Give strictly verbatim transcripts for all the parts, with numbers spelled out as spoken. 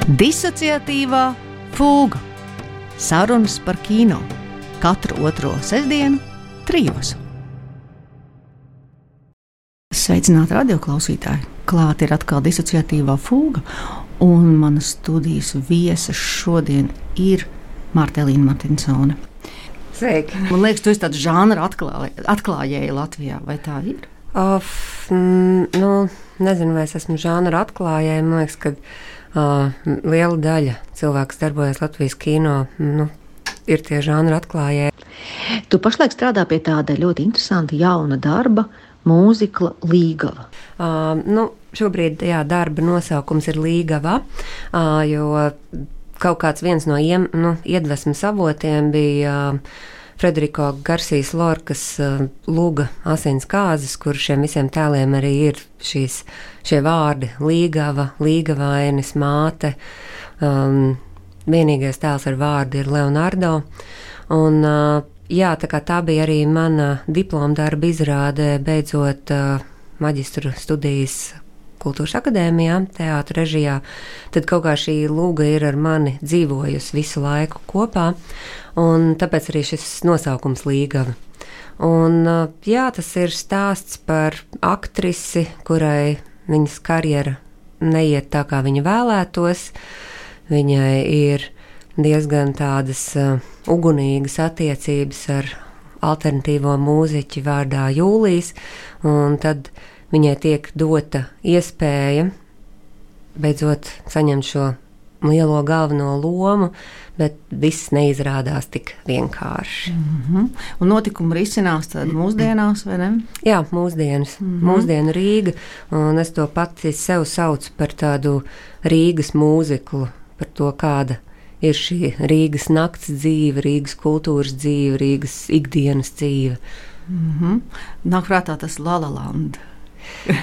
Disociatīvā fūga. Sarunas par kino. Katru otro sestdienu trijos. Sveicināti radioklausītāji! Klāt ir atkal disociatīvā fūga, un manas studijas viesa šodien ir Marta Elīna Martinsone. Sveiki! Man liekas, tu esi tāds žanra atklāj, atklājēja Latvijā, vai tā ir? Of, mm, nu, nezinu, vai es esmu žanra atklājēja. Man liekas, ka uh, liela daļa cilvēku, kas darbojas Latvijas kino, nu, ir tie žanra atklājēji. Tu pašlaik strādā pie tāda ļoti interesanta jauna darba, mūzikla Līgava. Uh, nu, šobrīd jā, darba nosaukums ir Līgava, uh, jo kaut kāds viens no iem, nu, iedvesmas avotiem bija uh, Frederiko Garsijas Lorkas uh, Lūga asins kāzas, kur šiem visiem tēliem arī ir šīs, šie vārdi Līgava, Līgavainis, māte. Um, vienīgais tēls ar vārdu ir Leonardo. Un, uh, jā, tā kā tā bija arī mana diploma darba izrāde, beidzot uh, maģistru studijas Kultūras akadēmijā, teātra režijā, tad kaut kā šī lūga ir ar mani dzīvojusi visu laiku kopā, un tāpēc arī šis nosaukums Līgava. Un uh, jā, tas ir stāsts par aktrisi, kurai viņas karjera neiet tā, kā viņa vēlētos. Viņai ir diezgan tādas uh, ugunīgas attiecības ar alternatīvo mūziķi vārdā Jūlijs, un tad viņai tiek dota iespēja beidzot saņemt šo lielo galveno lomu, bet viss neizrādās tik vienkārši. Mm-hmm. Un notikumi risinās tad mūsdienās, vai ne? Jā, mūsdienas, mm-hmm. mūsdienu Rīga, un es to pati sev saucu par tādu Rīgas mūziklu, par to, kāda ir šī Rīgas nakts dzīve, Rīgas kultūras dzīve, Rīgas ikdienas dzīve. Mm-hmm. Nāk prātā tas La La Land.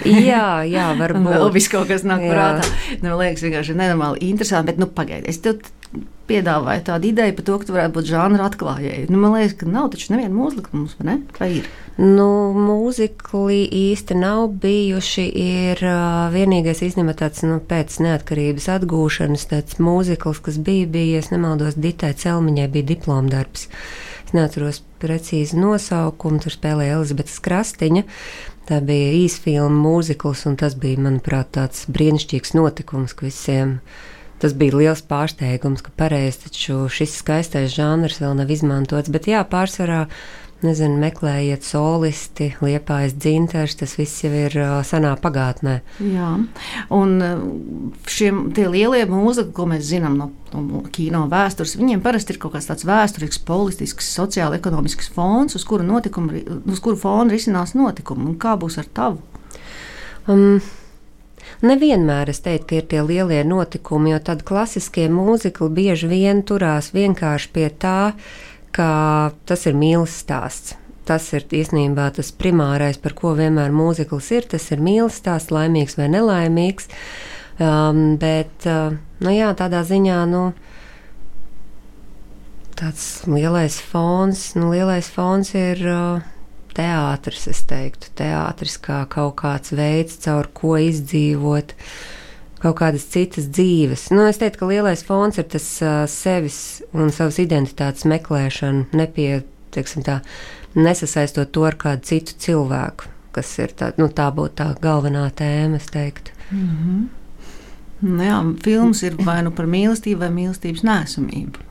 jā, jā, varbūt. Vēl viss kaut kas nāk jā. prātā. Nu, liekas vienkārši nenormāli interesanti, bet, nu, pagaidi, es tev piedāvāju tādu ideju par to, ka tu varētu būt žanra atklājēji. Nu, man liekas, ka nav taču neviena mūzikla mums, vai ne? Vai ir? Nu, mūzikli īsti nav bijuši, ir uh, vienīgais īstenībā tāds, nu, pēc neatkarības atgūšanas tāds mūzikls, kas bija, bija, es nemaldos, Ditai Celmiņai bija diplomdarbs. Es neatceros precīzi nosaukumu, tur spēlēja Elizabetes Krastiņa. Tā bija īsfilma mūzikls, un tas bija, manuprāt, tāds brīnišķīgs notikums, ka visiem tas bija liels pārsteigums, ka pareizi taču šis skaistais žanrs vēl nav izmantots, bet jā, pārsvarā, nezinu, meklējiet solisti, Liepājas Dzintars, tas viss jau ir uh, senā pagātnē. Jā, un šiem tie lielie mūzikli, ko mēs zinām no, no kino vēstures, viņiem parasti ir kaut kāds tāds vēsturisks, politisks, sociāli-ekonomisks fons, uz kuru, notikumu, uz kuru fonu risinās notikumi, un kā būs ar tavu? Um, nevienmēr es teiktu, ka ir tie lielie notikumi, jo tad klasiskie mūzikli bieži vien turās vienkārši pie tā, ka tas ir mīles stāsts. Tas ir īstenībā tas primārais, par ko vienmēr mūzikls ir. Tas ir mīles stāsts, laimīgs vai nelaimīgs. Um, bet, uh, nu jā, tādā ziņā, nu, tāds lielais fons, nu, lielais fons ir uh, teātris, es teiktu. Teātris kā kaut kāds veids, caur ko izdzīvot kaut kādas citas dzīves. Nu, es teiktu, ka lielais fons ir tas uh, sevis un savas identitātes meklēšana, nepie, teiksim tā, nesasaistot to ar kādu citu cilvēku, kas ir tā, nu, tā būtu tā galvenā tēma, es teiktu. Mm-hmm. Nu jā, films ir vai nu par mīlestību vai mīlestības neesamību.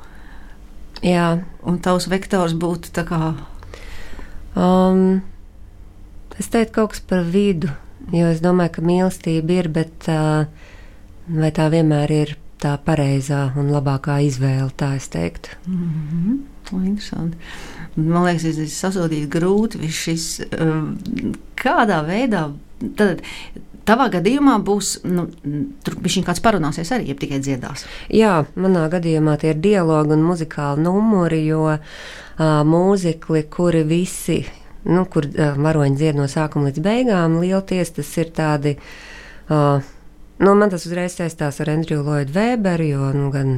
Jā. Un tavs vektors būtu tā kā... Um, es teiktu kaut kas par vidu, jo es domāju, ka mīlestība ir, bet... Uh, vai tā vienmēr ir tā pareizā un labākā izvēle, tā es teiktu. Mm-hmm. Interesanti. Man liekas, es esmu sasodīt grūti viss šis, kādā veidā, tad tavā gadījumā būs, nu, tur bišķiņ kāds parunāsies arī, ja tikai dziedās. Jā, manā gadījumā tie ir dialogi un muzikāli numuri, jo uh, mūzikli, kuri visi, nu, kur uh, varoņi dzied no sākuma līdz beigām, lielties, tas ir tādi... Uh, Nu, man tas uzreiz saistās ar Andriju Lloydu Weberu, jo nu, gan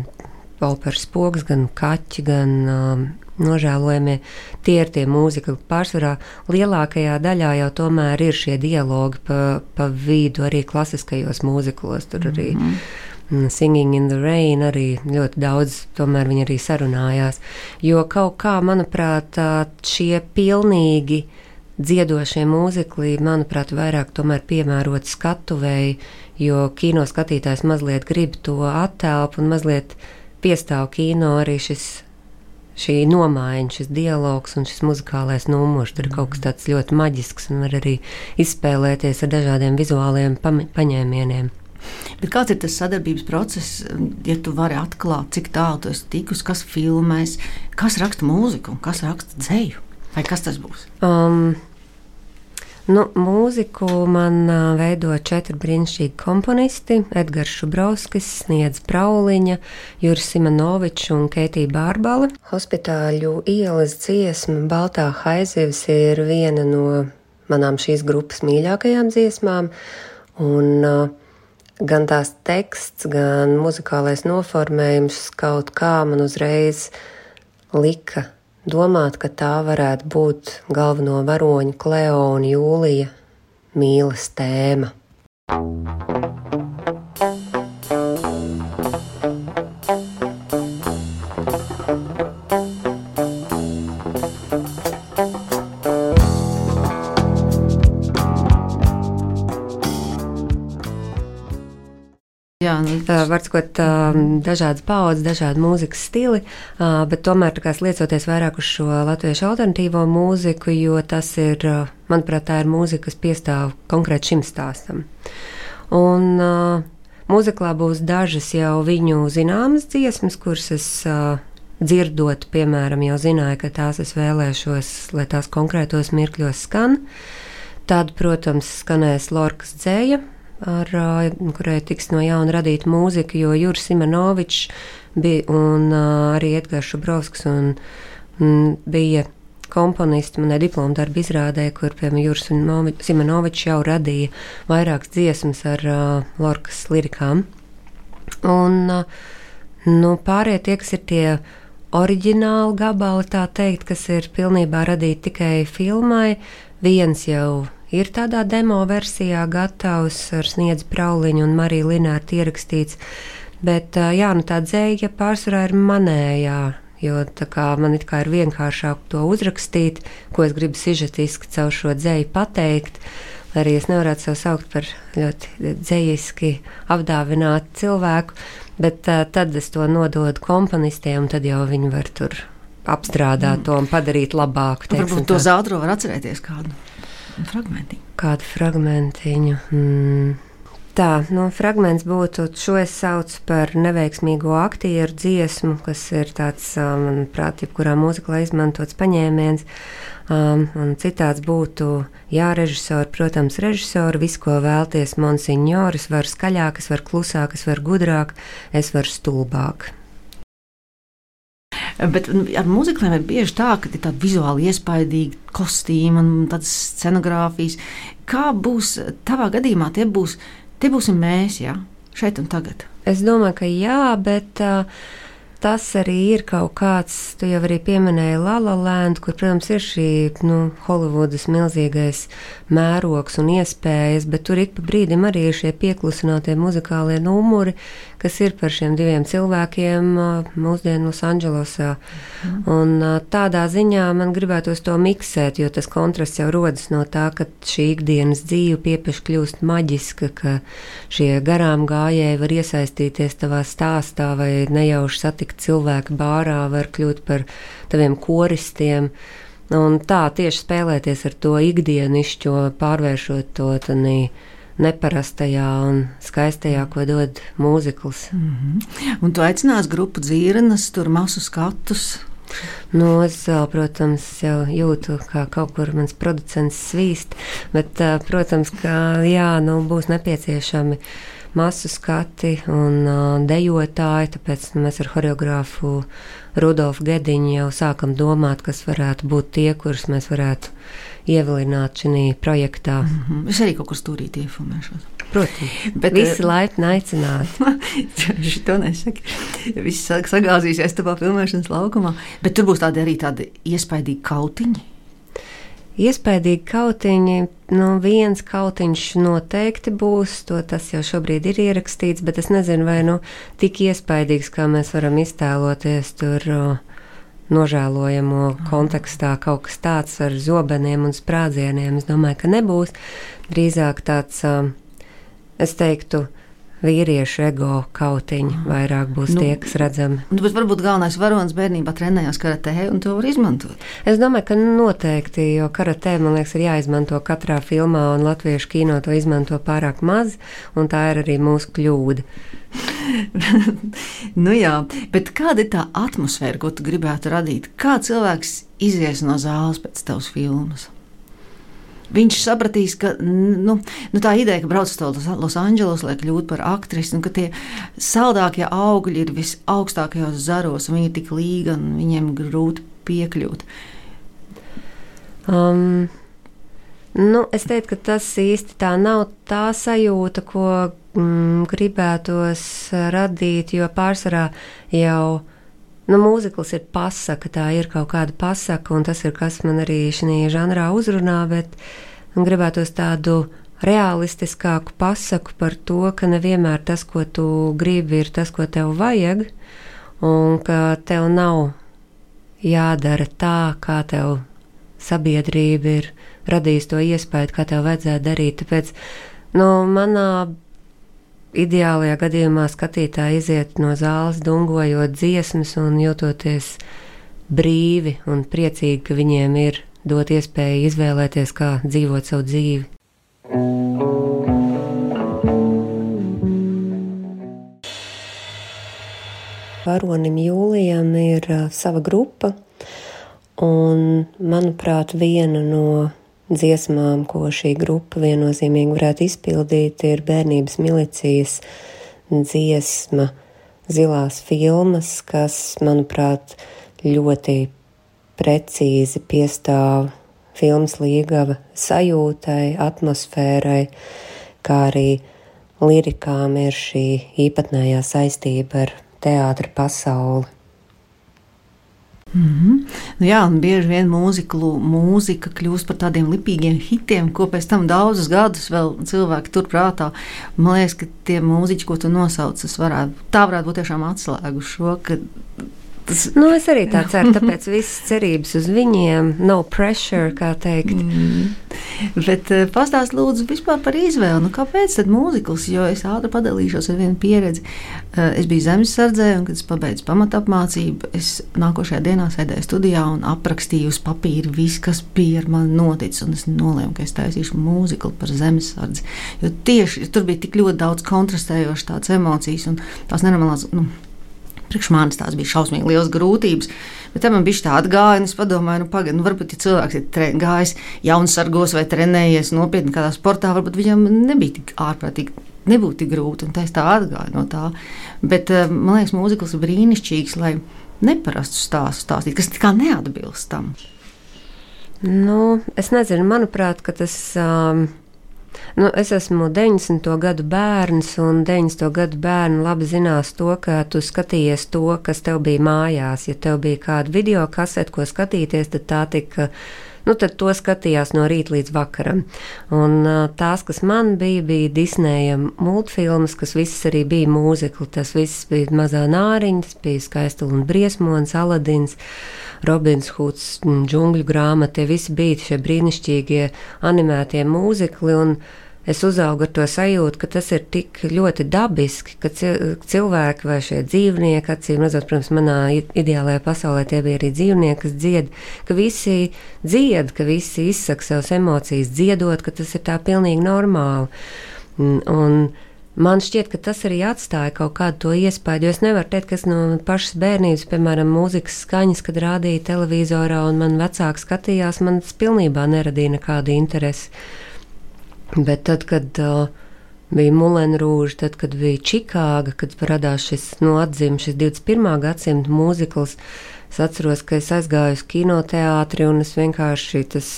Volpers Spoks, gan Kaķi, gan um, nožēlojamie, tie ir tie mūzikli. Pārsvarā lielākajā daļā jau tomēr ir šie dialogi pa, pa vidu arī klasiskajos mūziklos. Tur arī mm-hmm. Singing in the Rain arī ļoti daudz, tomēr viņi arī sarunājās. Jo kaut kā, manuprāt, šie pilnīgi dziedošie mūzikli, manuprāt, vairāk tomēr piemērot skatuvēji, jo kino skatītājs mazliet grib to attēlpu un mazliet piestāv kino arī šis šī nomaiņa, šis dialogs un šis muzikālais numurs. Tur ir kaut kas tāds ļoti maģisks un var arī izspēlēties ar dažādiem vizuāliem paņēmieniem. Bet kāds ir tas sadarbības process, ja tu vari atklāt, cik tālu tu esi tikus, kas filmēs, kas raksta mūziku un kas raksta dzeju? Vai kas tas būs? Um, Nu, mūziku man uh, veido četri brīnišķīgi komponisti – Edgars Šubrovskis, Sniedze Prauliņa, Juris Simonovičs un Keitija Bārbale. Hospitāļu ielas dziesma Baltā haizivs ir viena no manām šīs grupas mīļākajām dziesmām, un uh, gan tās teksts, gan muzikālais noformējums kaut kā man uzreiz lika domāt, ka tā varētu būt galveno varoņu Kleo un Jūlija mīlas tēma. Jā, nu, uh, var sakot, uh, dažādas paudzes, dažādi mūzikas stili, uh, bet tomēr tā kā sliecoties vairāk uz šo latviešu alternatīvo mūziku, jo tas ir, uh, manuprāt, tā ir mūzika, kas piestāv konkrēt šim stāstam. Un uh, mūziklā būs dažas jau viņu zināmas dziesmas, kuras es uh, dzirdot, piemēram, jau zināju, ka tās es vēlēšos, lai tās konkrētos mirkļos skan. Tad, protams, skanēs Lorkas dzeja, ar kurai tiks no jauna radīta mūzika, jo Juris Simonovičs bija un uh, arī Edgars Šubrovskis un, un bija komponisti manai diploma darba izrādē, kur, piemēram, Juris Simonovičs jau radīja vairākas dziesmas ar uh, Lorkas lirikām. Un uh, nu, pārējie tie, kas ir tie oriģināli gabali, tā teikt, kas ir pilnībā radīti tikai filmai, viens jau ir tādā demo versijā gatavs ar Sniedzi Prauliņu un Mariju Linārtu ierakstīts, bet jā, nu tā dzeja pārsvarā ir manējā, jo tā kā man it kā ir vienkāršāk to uzrakstīt, ko es gribu sižetiski caur šo dzeju pateikt, arī es nevarētu sev saukt par ļoti dzejiski apdāvinātu cilvēku, bet uh, tad es to nododu komponistiem, un tad jau viņi var tur apstrādāt mm. to un padarīt labāku. Teiksim, varbūt to zaudro var atcerēties kādu. Fragmentiņu. Kādu fragmentiņu? Mm. Tā, nu, fragments būtu, šo es saucu par neveiksmīgo aktieru dziesmu, kas ir tāds, manuprāt, jebkurā mūziklā izmantots paņēmiens. Um, un citāds būtu, jā, režisori, protams, režisori, visu, ko vēlties, monsignori, es varu skaļāk, es varu klusāk, es varu gudrāk, es varu stulbāk. Bet ar mūzikliem ir bieži tā, ka ir tāda vizuāli iespaidīga kostīma un tādas scenogrāfijas. Kā būs tavā gadījumā? Tie, būs, tie būsim mēs, jā, šeit un tagad. Es domāju, ka jā, bet uh, tas arī ir kaut kāds, tu jau arī pieminēji La La Land, kur, protams, ir šī, nu, Holivudas milzīgais mērogs un iespējas, bet tur ik pa brīdim arī ir šie pieklusinātie muzikālie numuri, kas ir par šiem diviem cilvēkiem mūsdienu Losandželosā. Mm. Un tādā ziņā man gribētos to miksēt, jo tas kontrasts jau rodas no tā, ka šī ikdienas dzīve piepeši kļūst maģiska, ka šie garām gājēji var iesaistīties tavā stāstā vai nejauši satikt cilvēki bārā, var kļūt par taviem koristiem. Un tā tieši spēlēties ar to ikdienišķo, pārvēršot to tanī neparastajā un skaistajā, ko dod mūzikls. Mm-hmm. Un tu aicinās grupu Dzirnas, tur masu skatus? Nu, es vēl, protams, jau jūtu, kā kaut kur mans producents svīst, bet, protams, ka jā, nu, būs nepieciešami masu skati un uh, dejotāji, tāpēc nu, mēs ar horeogrāfu Rudolfu Gediņu jau sākam domāt, kas varētu būt tie, kurus mēs varētu ievilināt šī projektā. Mm-hmm. Es arī kaut kur stūrīt iefilmēšos. Protams, bet visi uh, laipni aicināti. Šito nesaki. Viss sagāzīsies tavā filmēšanas laukumā. Bet tur būs tādi arī tādi iespaidīgi kautiņi. iespaidīgi kautiņi, nu viens kautiņš noteikti būs, to tas jau šobrīd ir ierakstīts, bet es nezinu, vai nu tik iespaidīgs, kā mēs varam iztēloties tur uh, nožēlojamo kontekstā kaut kas tāds ar zobeniem un sprādzieniem. Es domāju, ka nebūs. Drīzāk tāds, uh, es teiktu, vīriešu ego kautiņi vairāk būs nu, tie, kas redzami. Nu, bet varbūt galvenais varonis bērnībā trenējās karatē un to var izmantot. Es domāju, ka noteikti, jo karatē, man liekas, ir jāizmanto katrā filmā, un latviešu kino to izmanto pārāk maz, un tā ir arī mūsu kļūda. Nu jā, bet kāda ir tā atmosfēra, ko tu gribētu radīt? Kā cilvēks izies no zāles pēc tavas filmas? Viņš sapratīs, ka nu, nu tā ideja, ka brauc uz Losandželos, lai kļūtu par aktrisi, un ka tie saldākie augļi ir visaugstākajos zaros, un viņi ir tik līga, un viņiem grūti piekļūt. Um, nu, es teiktu, ka tas īsti tā nav tā sajūta, ko mm, gribētos radīt, jo pārsvarā jau nu, mūzikls ir pasaka, tā ir kaut kāda pasaka, un tas ir, kas man arī šī žanrā uzrunā, bet gribētos tādu realistiskāku pasaku par to, ka nevienmēr tas, ko tu gribi, ir tas, ko tev vajag, un ka tev nav jādara tā, kā tev sabiedrība ir radījusi to iespēju, kā tev vajadzētu darīt. Tāpēc, nu, manā ideālajā gadījumā skatītāji iziet no zāles dungojot dziesmas un jūtoties brīvi un priecīgi, ka viņiem ir dot iespēju izvēlēties, kā dzīvot savu dzīvi. Varonim Jūlijam ir uh, sava grupa, un, manuprāt, viena no dziesmām, ko šī grupa viennozīmīgi varētu izpildīt, ir Bērnības milicijas dziesma Zilās filmas, kas, manuprāt, ļoti precīzi piestāv filmas Līgava sajūtai, atmosfērai, kā arī lirikām ir šī īpatnējā saistība ar teātra pasauli. Mm-hmm. Nu jā, un bieži vien mūziklu, mūzika kļūst par tādiem lipīgiem hitiem, ko pēc tam daudzus gadus vēl cilvēki tur prātā. Man liekas, ka tie mūziķi, ko tu nosauc, varētu, tā varētu būt tiešām atslēgu šo, ka tas... Nu, es arī tā ceru, tāpēc visas cerības uz viņiem, no pressure, kā teikt. Mm. Bet pastāst lūdzu vispār par izvēli. Nu, kāpēc tad mūzikls? Jo es ātri padalīšos ar vienu pieredzi. Es biju zemesardzē, un kad es pabeidzu pamatapmācību, es nākošajā dienā sēdēju studijā un aprakstīju uz papīra visu, kas bija ar mani noticis, un es nolēmu, ka es taisīšu mūziklu par zemesardzi. Jo tieši tur bija tik ļoti daudz kontrastējošas tādas emocijas, un tās nenormālās, nu, priekš manis tās bija šausmīgi liels grūtības, bet tam man bija tā atgāja, un es padomāju, nu pagaid, nu varbūt, ja cilvēks ir tre, gājis jaunsargos vai trenējies nopietni kādā sportā, varbūt viņam nebija tik ārprātīgi, nebūtu tik grūti, un tā es tā atgāju no tā. Bet, man liekas, mūzikls ir brīnišķīgs, lai neparastu stāstu stāstīt, kas kā neatbilst tam. Nu, es nezinu, manuprāt, ka tas... Um... Nu, es esmu deviņdesmito gadu bērns, un deviņdesmito gadu bērni labi zinās to, ka tu skatījies to, kas tev bija mājās. Ja tev bija kāda video kasete, ko skatīties, tad tā tika, nu, tad to skatījās no rīta līdz vakaram. Un tās, kas man bija, bija Disneja multfilmas, kas visas arī bija mūzikli. Tas viss bija Mazā nāriņa, tas bija Skaistula un briesmonis, Aladins, Robins Huds, Džungļu grāmata, tie visi bija šie brīnišķīgie animētie mūzikli, un es uzaugu ar to sajūtu, ka tas ir tik ļoti dabiski, ka cilvēki vai šie dzīvnieki, acīm redzot, protams, manā ideālajā pasaulē tie bija arī dzīvnieki, kas dzied, ka visi dzied, ka visi izsaka savas emocijas dziedot, ka tas ir tā pilnīgi normāli. Un, un man šķiet, ka tas arī atstāja kaut kādu to iespēju, jo es nevaru teikt, kas no pašas bērnības, piemēram, mūzikas skaņas, kad rādīja televizorā un man vecāki skatījās, man tas pilnībā neradīja nekādu interesi. Bet tad, kad uh, bija Moulin Rouge, tad, kad bija Čikāga, kad parādās šis, nu, atzim šis divdesmit pirmā gadsimta mūzikls, es atceros, ka es aizgāju uz kinoteātri un es vienkārši tas,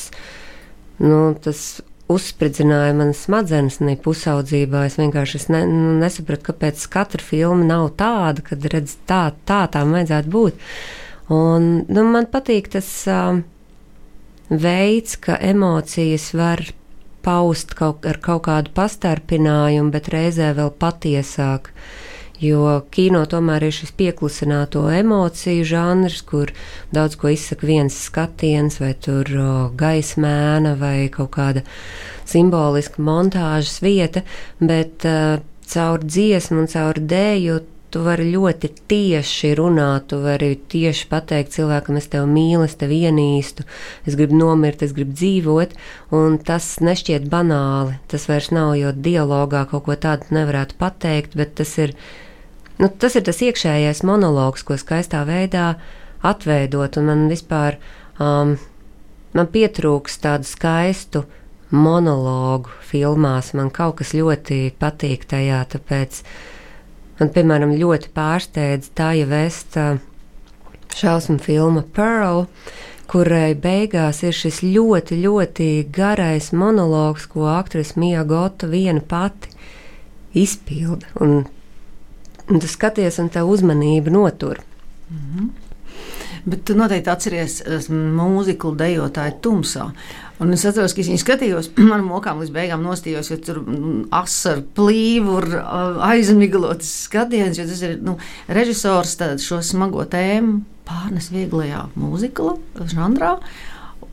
nu, tas uzspridzināja manas smadzenes ne pusaudzībā. Es vienkārši es ne, nu, nesapratu, kāpēc katra filma nav tāda, kad redz tā, tā tām vajadzētu būt. Un, nu, man patīk tas, uh, veids, ka emocijas var paust kaut, ar kaut kādu pastarpinājumu, bet reizē vēl patiesāk. Jo kino tomēr ir šis pieklusināto emociju žanrs, kur daudz ko izsaka viens skatiens, vai tur o, gaismēna, vai kaut kāda simboliska montāžas vieta, bet uh, caur dziesmu un caur dēju tu vari ļoti tieši runāt, tu vari tieši pateikt cilvēkam, es tevi mīlu, es tevi ienīstu, es gribu nomirt, es gribu dzīvot, un tas nešķiet banāli. Tas vairs nav, jo dialogā kaut ko tādu nevarētu pateikt, bet tas ir, nu, tas ir tas iekšējais monologs, ko skaistā veidā atveidot, un man vispār, um, man pietrūks tādu skaistu monologu filmās, man kaut kas ļoti patīk tajā, tāpēc man, piemēram, ļoti pārsteidz Tāja Vesta šausmu filma Pearl, kurai beigās ir šis ļoti, ļoti garais monologs, ko aktrise Mia Goth viena pati izpilda. Un, un tu skaties, un tev uzmanība notur. Mm-hmm. Bet tu noteikti atceries mūziklu Dejotāju tumsā. Un es atceros, ka es viņu skatījos, man mokām līdz beigām nostījos, jo tur asaru plīvu, aizmiglotas skatiens, jo tas ir, nu, režisors šo smago tēmu pārnes vieglajā mūzikla žanrā,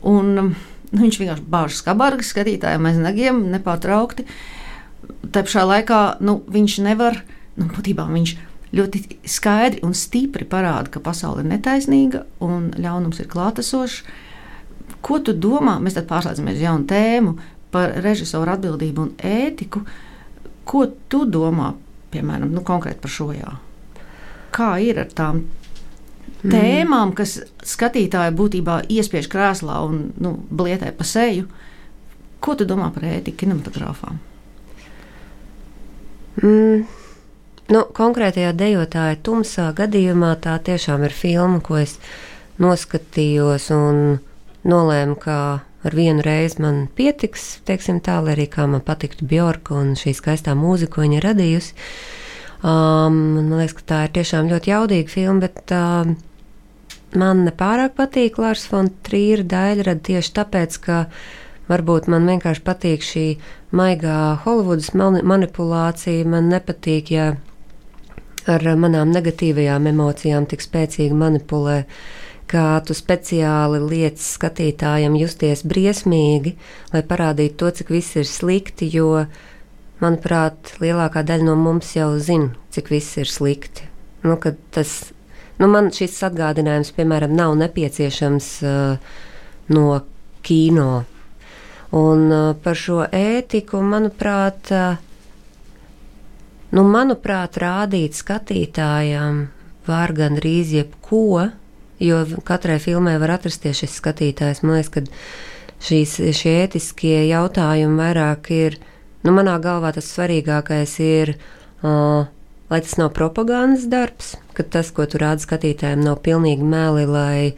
un nu, viņš vienkārši bāž skabargas skatītājiem aiz nagiem nepārtraukti. Tā pašā laikā, nu, viņš nevar, nu, būtībā viņš ļoti skaidri un stipri parāda, ka pasaule ir netaisnīga un ļaunums ir klātesošs. Ko tu domā, mēs tad pārslēdzamies jaunu tēmu par režisoru atbildību un ētiku, ko tu domā, piemēram, nu, konkrēti par šo jā? Kā ir ar tām tēmām, kas skatītāju būtībā iespiež krēslā un, nu, blietē pa seju? Ko tu domā par ētiku kinematogrāfā? Mm. Nu, konkrētajā Dejotāja tumsā gadījumā tā tiešām ir filma, ko es noskatījos un nolēmu, ka ar vienu reizi man pietiks, teiksim tā, lai arī kā man patiktu Bjorka un šī skaistā mūzika, ko viņa radījusi. Um, man liekas, ka tā ir tiešām ļoti jaudīga filma, bet uh, man nepārāk patīk Lars von Trīra daļrada tieši tāpēc, ka varbūt man vienkārši patīk šī maigā Holivudas manipulācija, man nepatīk, ja ar manām negatīvajām emocijām tik spēcīgi manipulē, ka tu speciāli liec skatītājiem justies briesmīgi, lai parādītu to, cik viss ir slikti, jo, manuprāt, lielākā daļa no mums jau zina, cik viss ir slikti. Nu, kad tas, nu, man šis atgādinājums, piemēram, nav nepieciešams uh, no kino. Un uh, par šo ētiku, manuprāt, uh, nu, manuprāt, rādīt skatītājām var gandrīz jebko, jo katrai filmai var atrasties šis skatītājs. Man liekas, ka šīs, šie ētiskie jautājumi vairāk ir, nu, manā galvā tas svarīgākais ir, uh, lai tas nav propagandas darbs, ka tas, ko tu rādi skatītājiem, nav pilnīgi meli, lai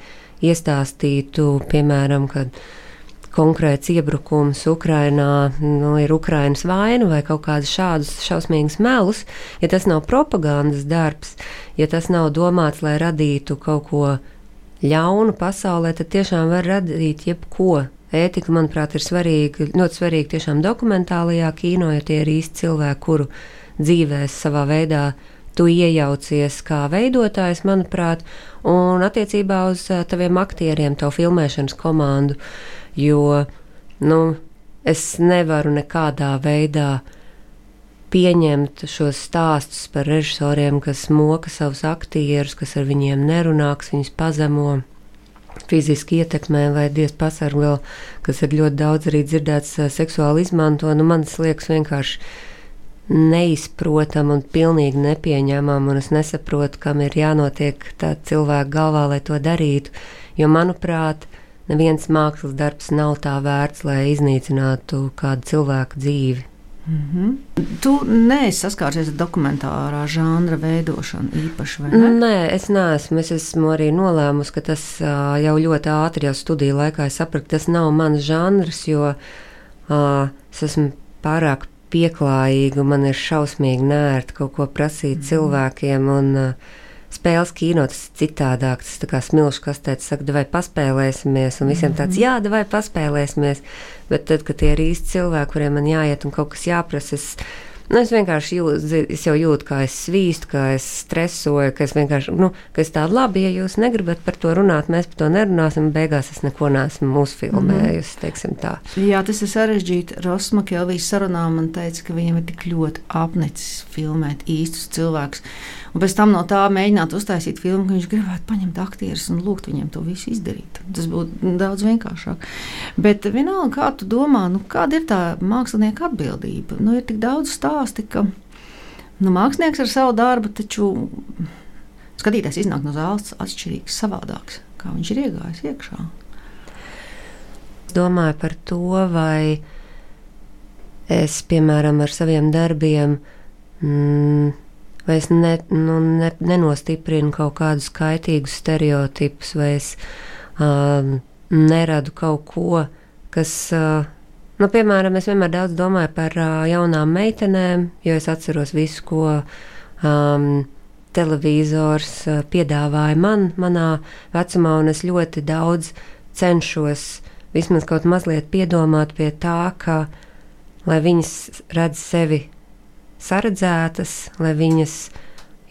iestāstītu, piemēram, kad konkrēts iebrukums Ukrainā, nu, ir Ukrainas vaina vai kaut kādus šādus šausmīgus melus, ja tas nav propagandas darbs, ja tas nav domāts, lai radītu kaut ko ļaunu pasaulē, tad tiešām var radīt jebko. Ētika, manuprāt, ir svarīga, ļoti svarīga tiešām dokumentālajā kino, jo tie ir īsti cilvēki, kuru dzīvēs savā veidā tu iejaucies kā veidotājs, manuprāt, un attiecībā uz taviem aktieriem, tavu filmēšanas komandu, jo, nu, es nevaru nekādā veidā pieņemt šos stāstus par režisoriem, kas moka savus aktierus, kas ar viņiem nerunā, kas viņus pazemo, fiziski ietekmē vai diez pasarg vēl, kas ir ļoti daudz arī dzirdēts seksuāli izmanto. Nu, man tas liekas vienkārši neizprotam un pilnīgi nepieņemam, un es nesaprotu, kam ir jānotiek tā cilvēka galvā, lai to darītu, jo, manuprāt, neviens mākslas darbs nav tā vērts, lai iznīcinātu kādu cilvēku dzīvi. Mm-hmm. Tu neesi saskāries ar dokumentārā žanra veidošanu īpaši, vai ne? Nē, es neesmu. Es esmu arī nolēmusi, ka tas uh, jau ļoti ātri jau studiju laikā es sapratu, tas nav mans žanrs, jo uh, es esmu pārāk pieklājīga, man ir šausmīgi nērti kaut ko prasīt mm. cilvēkiem, un uh, spēles kino, tas ir citādāk, tas tā kā smilšu kastēts saka, vai paspēlēsimies, un visiem tāds, jā, vai paspēlēsimies, bet tad, kad tie ir īsti cilvēki, kuriem man jāiet un kaut kas jāprasa, es, nu, es vienkārši jūtu, es jau jūtu, kā es svīstu, kā es stresoju, ka es vienkārši, nu, ka es tādu labi, ja jūs negribat par to runāt, mēs par to nerunāsim, beigās es neko neesmu uzfilmējusi, teiksim tā. Jā, tas ir sarežģīti. Rosma Kelvijas sarunā man teica, ka viņam ir tik ļoti apnicis filmēt īstus cilvēkus. Un pēc tam no tā mēģināt uztaisīt filmu, ka viņš gribētu paņemt aktierus un lūgt viņiem to visu izdarīt. Tas būtu daudz vienkāršāk. Bet vienalga, kā tu domā, nu, kāda ir tā mākslinieka atbildība? Nu, ir tik daudz stāsti, ka nu, mākslinieks ar savu darbu, taču skatītājs iznāk no zāles atšķirīgs, savādāks, kā viņš ir iegājis iekšā. Domāju par to, vai es, piemēram, ar saviem darbiem mm, vai es ne, nu, ne, nenostiprinu kaut kādus kaitīgus stereotipus, vai es uh, neradu kaut ko, kas, uh, nu, piemēram, es vienmēr daudz domāju par uh, jaunām meitenēm, jo es atceros visu, ko um, televizors uh, piedāvāja man, manā vecumā, un es ļoti daudz cenšos vismaz kaut mazliet piedomāt pie tā, ka, lai viņas redz sevi saredzētas, lai viņas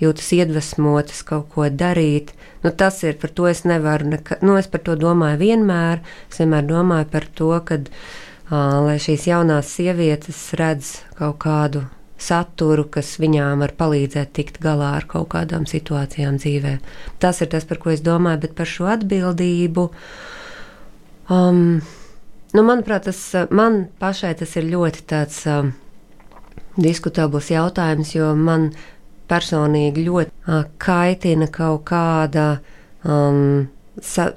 jūtas iedvesmotas kaut ko darīt. Nu, tas ir, par to es nevaru, neka, nu, es par to domāju vienmēr, es vienmēr domāju par to, kad, uh, lai šīs jaunās sievietes redz kaut kādu saturu, kas viņām var palīdzēt tikt galā ar kaut kādām situācijām dzīvē. Tas ir tas, par ko es domāju, bet par šo atbildību, um, nu, manuprāt, tas, man pašai tas ir ļoti tāds um, diskutabls jautājums, jo man personīgi ļoti uh, kaitina kaut kāda um, sa,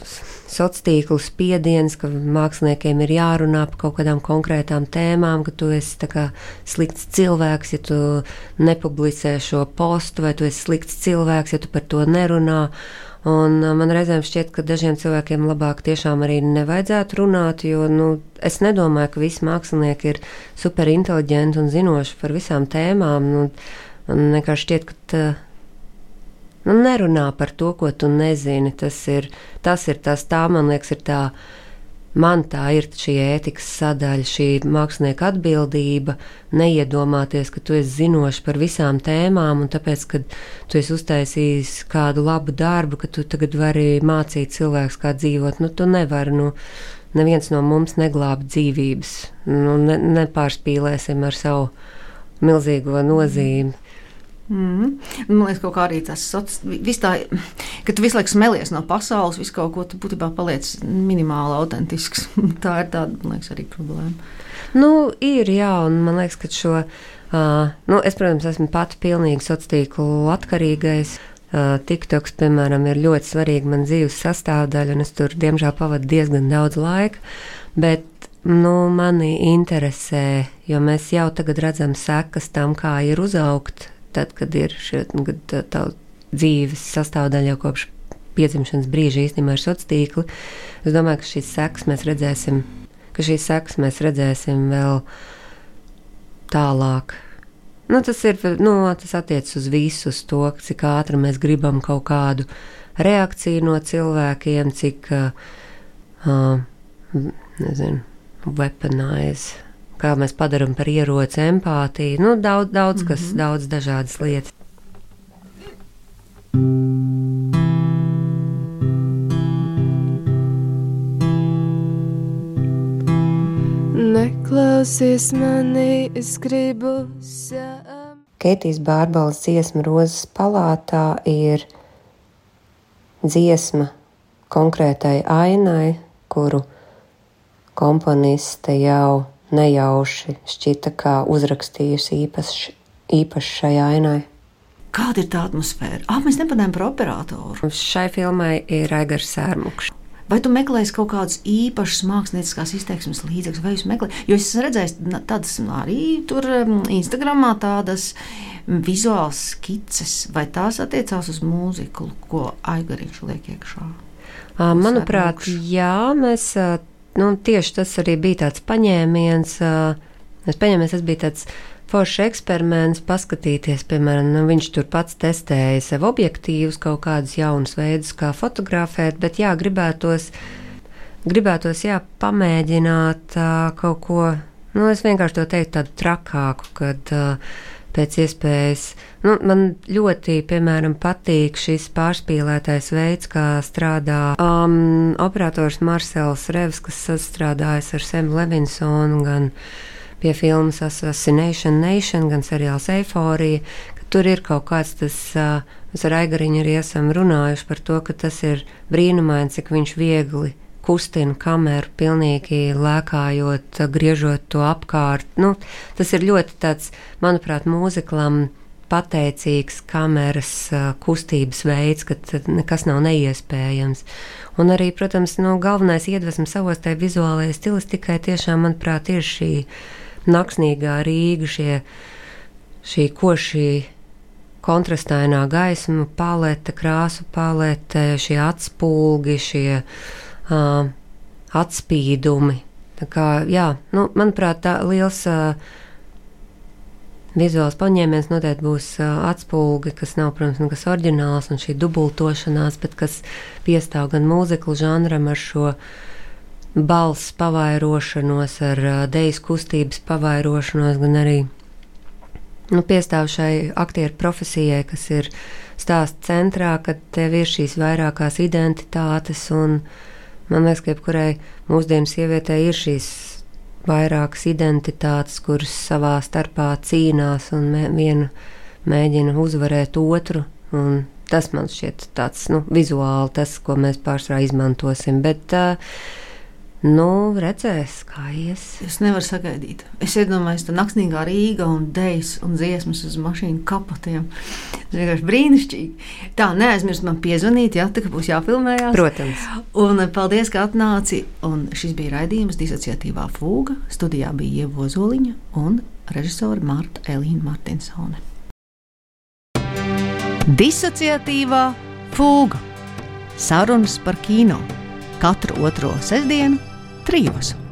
sociālo spiediens, ka māksliniekiem ir jārunā par kaut kādām konkrētām tēmām, ka tu esi tā kā slikts cilvēks, ja tu nepublicē šo postu, vai tu esi slikts cilvēks, ja tu par to nerunā. Un man reizēm šķiet, ka dažiem cilvēkiem labāk tiešām arī nevajadzētu runāt, jo nu, es nedomāju, ka visi mākslinieki ir superinteliģenti un zinoši par visām tēmām. Nu, man vienkārši šķiet, ka tā, nu, nerunā par to, ko tu nezini. Tas ir tas, ir tas tā, man liekas, ir tā, man tā ir šī ētikas sadaļa, šī mākslinieka atbildība, neiedomāties, ka tu esi zinoši par visām tēmām, un tāpēc, kad tu esi uztaisījis kādu labu darbu, ka tu tagad vari mācīt cilvēkus, kā dzīvot, nu tu nevari, nu, neviens no mums neglāb dzīvības, nu, ne, nepārspīlēsim ar savu milzīgo nozīmi. Mm. Man liekas, kaut kā arī tas viss tā, ka tu visu laiku smelies no pasaules, visu kaut ko tu būtībā paliec minimāli autentisks. Tā ir tāda, man liekas, arī problēma. Nu, ir, jā, un man liekas, ka šo, uh, nu, es, protams, esmu pati pilnīgi sociātīklu atkarīgais. Uh, TikToks, piemēram, ir ļoti svarīga man dzīves sastāvdaļa, un es tur, diemžēl, pavadu diezgan daudz laika, bet, nu, mani interesē, jo mēs jau tagad redzam sekas tam, kā ir uzaugt, tad, kad ir šie, kad tā, tā dzīves sastāvdaļa jau kopš piedzimšanas brīža īstenībā ir sociālā tīkli. Es domāju, ka šīs sekas mēs redzēsim, ka šīs sekas mēs redzēsim vēl tālāk. Nu, tas ir, nu, tas attiecas uz visu, uz to, cik ātri mēs gribam kaut kādu reakciju no cilvēkiem, cik, uh, nezinu, weaponize, kā mēs padaram par ieroci empātiju, nu, daudz, daudz kas, mm-hmm. daudz dažādas lietas. Neklausies mani, es gribu sām. Keitijas Bārbalas dziesma Rozes palātā ir dziesma konkrētai ainai, kuru komponiste jau nejauši šķita kā uzrakstījusi īpaši, īpaši šai ainai. Kāda ir tā atmosfēra? Ah, mēs nepadējām par operatoru. Šai filmai ir Aigars Sērmukšs. Vai tu meklēsi kaut kādus īpašus mākslinieckās izteiksmes līdzekļus, vai jūs meklējat? Jo es esmu redzējis tādas arī tur Instagramā tādas vizuālas skices, vai tās attiecās uz mūziku, ko Aigariņš liek iekšā? Manuprāt, jā, mēs, nu, tieši tas arī bija tāds paņēmiens, mēs paņēmies, tas bija tāds foršs eksperiments paskatīties, piemēram, nu, viņš tur pats testēja sev objektīvus, kaut kādus jaunus veidus, kā fotografēt, bet jā, gribētos, gribētos, jā, pamēģināt uh, kaut ko, nu, es vienkārši to teiktu tādu trakāku, kad uh, pēc iespējas, nu, man ļoti, piemēram, patīk šis pārspīlētais veids, kā strādā um, operators Marcels Revs, kas sastrādājas ar Semu Levinsonu, gan pie filmas Assassination Nation, gan seriāls Eiforija, ka tur ir kaut kāds tas, uh, mēs ar Aigariņu arī esam runājuši par to, ka tas ir brīnumaini, cik viņš viegli kustina kameru, pilnīgi lēkājot, griežot to apkārt. Nu, tas ir ļoti tāds, manuprāt, mūziklam pateicīgs kameras uh, kustības veids, ka nekas nav neiespējams. Un arī, protams, nu, galvenais iedvesmas savos tai vizuālajai stilistikai tiešām, manuprāt, ir šī naksnīgā Rīga, šie, šī košī kontrastainā gaisma palete, krāsu palete, šie atspulgi, šie uh, atspīdumi. Tā kā, jā, nu, manuprāt, tā liels uh, vizuāls paņēmiens noteikti būs uh, atspulgi, kas nav, protams, nekas oriģināls un šī dubultošanās, bet kas piestāv gan mūziklu žanram ar šo balss pavairošanos, ar uh, dejas kustības pavairošanos, gan arī nu, piestāv šai aktieru profesijai, kas ir stāsta centrā, kad tev ir šīs vairākās identitātes, un man liekas, ka jebkurai mūsdienu sievietei ir šīs vairākas identitātes, kuras savā starpā cīnās un mē, viena mēģina uzvarēt otru, un tas man šķiet tāds, nu, vizuāli tas, ko mēs pārsvarā izmantosim, bet uh, nu, redzēs, kā ies. Es nevaru sagaidīt. Es iedomājos, tā naksnīgā Rīga un dejas un dziesmas uz mašīnu kapotiem. Tas vienkārši brīnišķīgi. Tā, neaizmirst man piezvanīt, ja, tā, ka būs jāfilmējās. Protams. Un paldies, ka atnāci. Un šis bija raidījums Disociatīvā fūga. Studijā bija Ieva Ozoliņa un režisore Marta Elīna Martinsone. Disociatīvā fūga. Sarunas par kino. Katru otro sestdienu trijos.